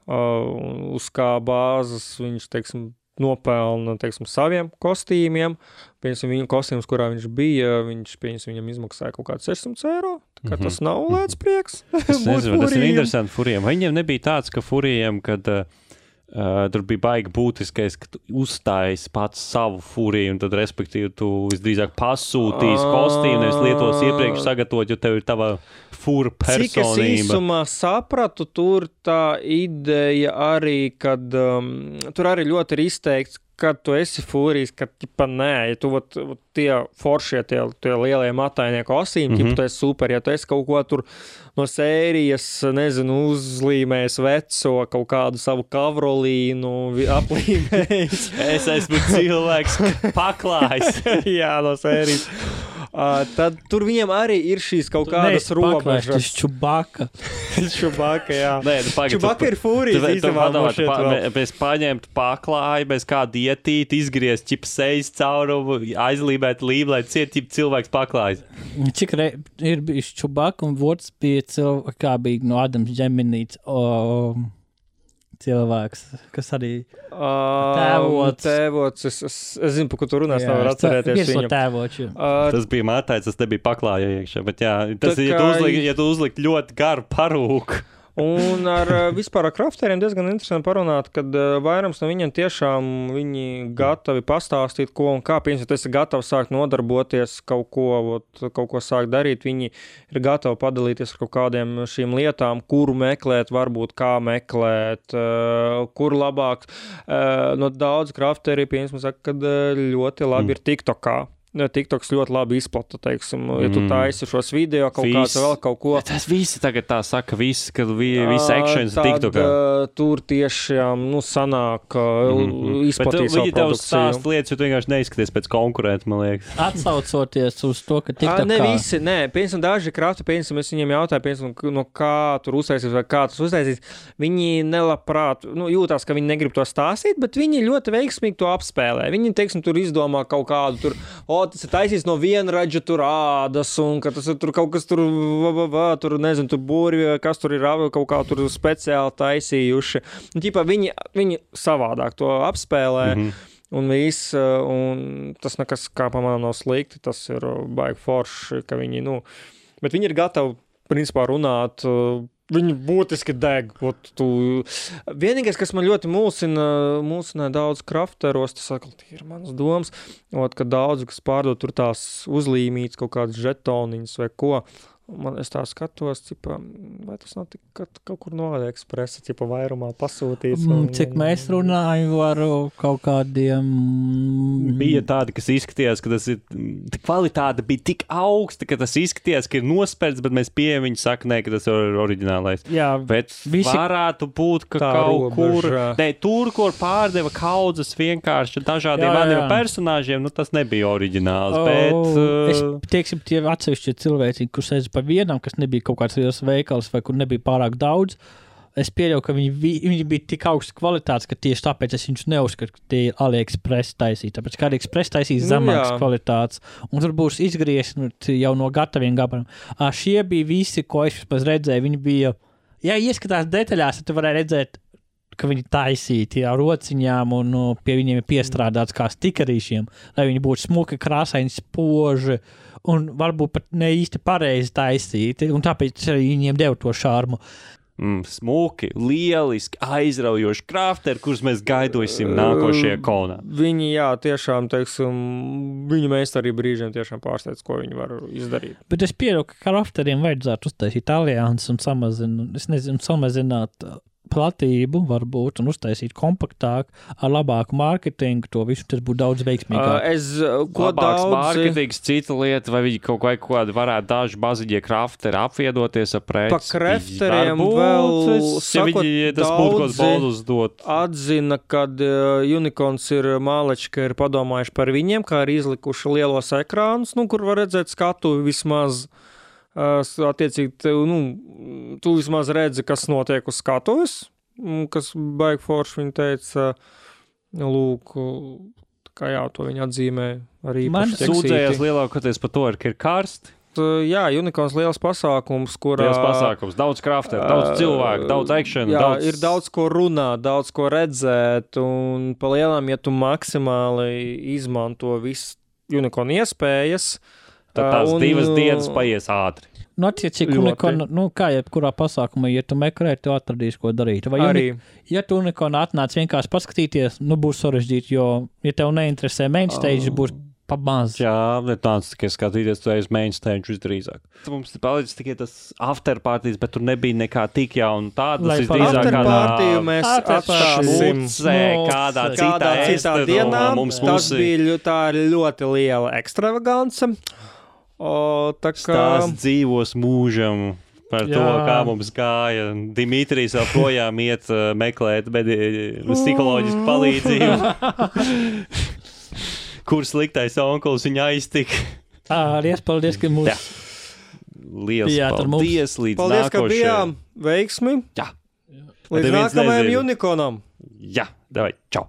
uz kā bāzes viņš, teiksim, nopelna, teiksim, saviem kostīmiem. Piemēram, viņu kostīms, kurā viņš bija, viņam izmaksāja kaut kāds 600 eiro. Tā kā tas nav lēts prieks. Es nezinu, tas ir interesanti furiem. Vai viņiem nebija tāds, ka furiem, kad tur bija baigi būtiskais, ka tu uzstājies pats savu furiju, un tad, respektīvi, tu visdrīzāk pasūtīs kostīmu, nevis lietos iepriekš sagatavot, jo tev ir tava fura personība. Cik es īsumā sapratu, tur tā ideja arī, kad tur arī ļoti ir izteikts, kad tu esi fūrijs, kad nē, ja tu tie foršie, tie lielie matainie kostīmi, tu esi super, ja tu esi kaut ko tur no sērijas, nezinu, uzlīmējis veco, kaut kādu savu kavrolīnu, aplīmējis. Es esmu cilvēks paklājs. Jā, no sērijas. Tad tur viņiem arī ir šīs kaut kādas robežas. Tas Čubaka. Čubaka, jā. Nē, Čubaka ir fūrijas īstenībā. Mēs paņemt paklāju, bez kādu ietīt, izgriezt sejas caurumu, aizlībēt lību, lai cilvēks paklājas. Cik ir bijis Čubaka un vots bija kā bija no Adams Džeminīts cilvēks, kas arī tēvots. Es zinu, par ko tu runās, nevar atcerēties viņam. Tas bija mātājs, tas nebija paklāja iekšā, bet jā, tas ir, ja tu uzlikt ļoti garu parūku. Un vispār ar krafteriem diezgan interesanti parunāt, kad vairums no viņiem tiešām viņi gatavi pastāstīt, ko un kā. Piemēram, ja tu esi gatavs sākt nodarboties kaut ko sākt darīt, viņi ir gatavi padalīties ar kaut kādiem šīm lietām, kuru meklēt, varbūt kā meklēt, kur labāk. No daudz krafteri, piemēram, saka, kad ļoti labi ir TikTokā. TikToks ļoti labi izplata, teiksim, ja tu taisi šos video, kaut kāds vēl kaut ko. Tas visi tagad tā saka, ka visi actions TikTokā. Tur tiešām, sanāk izplatīt savu produkciju. Bet tev stāst lietas, jo tu vienkārši neizskaties pēc konkurenta, man liekas. Atsaucoties uz to, ka TikTokā. Ne visi, piemēram, daži krafti, piemēram, es viņiem jautāju, piemēram, no kā tur uztaisīs vai kā tas uztaisīs. Viņi nelabprāt, jūtās, ka viņi negrib to stāstīt, bet viņi ļoti veiksmīgi to apspēlē. Viņi, teiksim, tur izdomā kaut kādu tur, tas ir taisīs no vienraģa tur ādas, un ka tas ir tur kaut kas tur, nezinu, tur būri, kas tur ir kaut kā tur speciāli taisījuši. Un, viņi savādāk to apspēlē, un viss, un tas nekas, kā pamanām, nav slikti, tas ir baigi forši, ka viņi, bet viņi ir gatavi, principā, runāt. Viņi būtiski deg. Vienīgais, kas man ļoti mulsina daudz krafteros, tas ir manas domas, ka daudz, kas pārdod tur tās uzlīmītas kaut kādas žetoniņas vai ko, es tā skatos, vai tas nav tik kaut kur no AliExpressa, vairumā pasūtīts. Cik mēs runājam ar kaut kādiem... Bija tādi, kas izskatījās, ka tas ir... Kvalitāte bija tik augsta, ka tas izskatījās, ka ir nospērts, bet mēs pieejam viņi saka, ka tas ir oriģinālais. Jā, bet varētu būt, ka kaut kur... Tur, kur pārdeva kaudzes vienkārši dažādiem maniem personāžiem, tas nebija oriģināls, bet... Tieksim, tie atsevišķi cilvēki, kurš sēdz par vienam, kas nebija kaut kāds liels veikals vai kur nebija pārāk daudz, es pieļauju, ka viņi bija tik augsts kvalitātes, ka tieši tāpēc es viņus neuzskatu, ka tie ir AliExpress taisīt. Tāpēc, ka AliExpress taisīs zemākas kvalitātes, un tur būs izgriezt jau no gataviem gabaliem. Šie bija visi, ko es vispār redzēju, viņi bija, ja ieskatās detaļās, tad tu varēja redzēt, ka viņi taisīti ar rociņām un pie viņiem ir piestrādāts kā stikerīšiem, lai viņi būtu smuki, krāsaini, spoži un varbūt pat ne īsti pareizi taisīti, un tāpēc viņiem deva to šarmu. Smuki, lieliski, aizraujoši krafteri, kurus mēs gaidosim nākošajā konā. Viņi, jā, tiešām, teiksim, viņu meistari brīžiem tiešām pārsteidz, ko viņi var izdarīt. Bet es pieļauju, ka krafteriem vajadzētu uztaisīt alianses un samazināt platību varbūt un uztaisīt kompaktāk ar labāku mārketingu, to visu tas būtu daudz veiksmīgāk. Labāks mārketings, cita lieta, vai viņi kaut kādi varētu daži maziņie krafteri apviedoties ar preci. Pa krafteriem vēl atzina, kad Unicorns ir māleči, ka ir padomājuši par viņiem, kā ir izlikuši lielos ekrānus, kur var redzēt skatu vismaz. Attiecīgi, tu vismaz redzi, kas notiek uz skatuves, kas baigi forši viņa teica, lūk, kā jā, to viņa atzīmē arī. Man sūdzējās lielākoties par to, ka ir karsti. Jā, Unicorns liels pasākums, kurā... Liels pasākums, daudz krafteru, daudz cilvēku, daudz action. Jā, ir daudz ko runāt, daudz ko redzēt, un pa lielām, ja tu maksimāli izmanto visu Unicorn iespējas, tad tās 2 dienas paies ātri. Attiecīgi, kā jebkurā pasākumā, ja tu meklē, tu atradīsi, ko darīt. Vai ja tu Unicorn atnāc vienkārši paskatīties, būs sarežģīti, jo, ja tev neinteresē main stage, būs pamaz. Jā, netāds tikai skatīties, tu esi main stage visdrīzāk. Mums palicis tikai tas after parties, bet tur nebija nekā tik jauna tāda. Tas visdrīzāk after party mēs atstāsim kādā citā dienā. Tas bija tā ļoti liela ekstravagance. Stāsts dzīvos mūžam par to, kā mums gāja. Dimitrijs vēl projām iet meklēt psiholoģisku palīdzību. Kur sliktais onkulis viņu aiztika. Paldies, ka mūs... Liels paldies līdz paldies, nākošajai. Ka bijām veiksmi. Jā. Līdz nākamajam Unicornam. Jā, davai, čau.